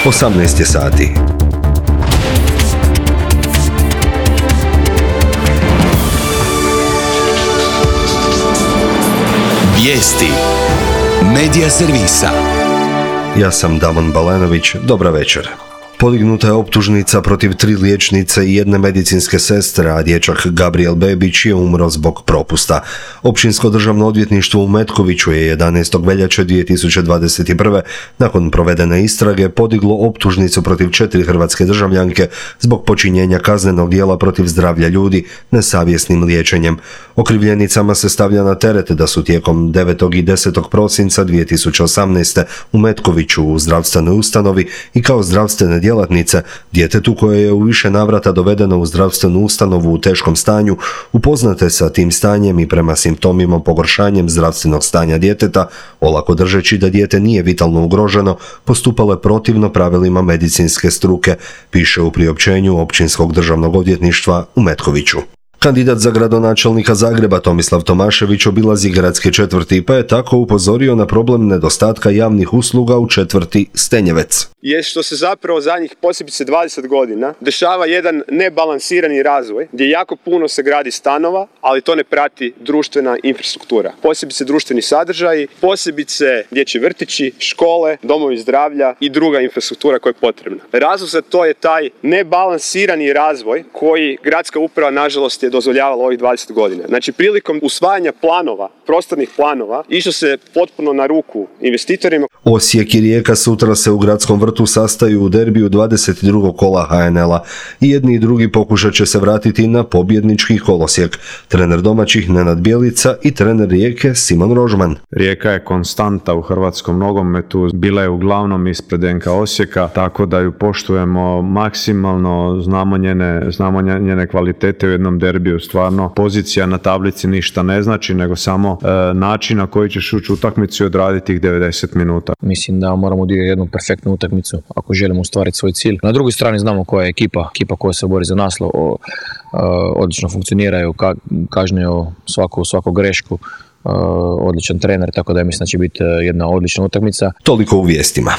18 je sati. Vijesti Medija servisa. Ja sam Damon Balenović, dobra večer. Podignuta je optužnica protiv 3 liječnice i 1 medicinske sestre, a dječak Gabriel Bebić je umro zbog propusta. Općinsko državno odvjetništvo u Metkoviću je 11. veljače 2021. nakon provedene istrage podiglo optužnicu protiv 4 hrvatske državljanke zbog počinjenja kaznenog djela protiv zdravlja ljudi nesavjesnim liječenjem. Okrivljenicama se stavlja na teret da su tijekom 9. i 10. prosinca 2018. u Metkoviću u zdravstvenoj ustanovi i kao zdravstvene djelatnice djetetu koje je u više navrata dovedeno u zdravstvenu ustanovu u teškom stanju, upoznate sa tim stanjem i prema simptomima pogoršanjem zdravstvenog stanja djeteta, olako držeći da dijete nije vitalno ugroženo, postupale protivno pravilima medicinske struke, piše u priopćenju Općinskog državnog odvjetništva u Metkoviću. Kandidat za gradonačelnika Zagreba Tomislav Tomašević obilazi gradske četvrti pa je tako upozorio na problem nedostatka javnih usluga u četvrti Stenjevec. Je što se zapravo zadnjih posebice 20 godina dešava jedan nebalansirani razvoj gdje jako puno se gradi stanova, ali to ne prati društvena infrastruktura. Posebice društveni sadržaji, posebice dječji vrtići, škole, domovi zdravlja i druga infrastruktura koja je potrebna. Razlog za to je taj nebalansirani razvoj koji gradska uprava nažalost je dozvoljavala ovih 20 godina. Znači prilikom usvajanja planova, prostornih planova, išlo se potpuno na ruku investitorima. Osijek i Rijeka sutra se u gradskom vrtu sastaju u derbiju 22. kola HNL-a i jedni i drugi pokušat će se vratiti na pobjednički kolosijek. Trener domaćih Nenad Bjelica i trener Rijeke Simon Rožman. Rijeka je konstanta u hrvatskom nogometu, bila je uglavnom ispred NK Osijeka, tako da ju poštujemo maksimalno, znamo njene kvalitete u jednom derbiju. Stvarno, pozicija na tablici ništa ne znači, nego samo način na koji ćeš ući u utakmicu i odraditi tih 90 minuta. Mislim da moramo odigrati jednu perfektnu utakmicu ako želimo ostvariti svoj cilj. Na drugoj strani znamo koja je ekipa koja se bori za naslov, odlično funkcioniraju, kažnjaju svaku grešku, odličan trener, tako da mislim da će biti jedna odlična utakmica. Toliko u vijestima.